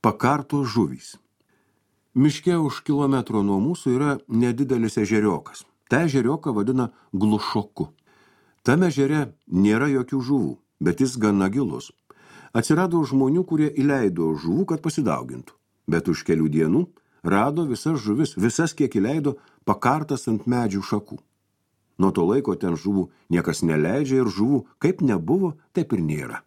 Pakartos žuvys. Miške už kilometro nuo mūsų yra nedidelis ežeriokas. Ta ežerioką vadina Glušoku. Tame ežere nėra jokių žuvų, bet jis gana gilus. Atsirado žmonių, kurie įleido žuvų, kad pasidaugintų. Bet už kelių dienų rado visas žuvis, visas kiek įleido, pakartas ant medžių šakų. Nuo to laiko ten žuvų niekas neleidžia ir žuvų kaip nebuvo, taip ir nėra.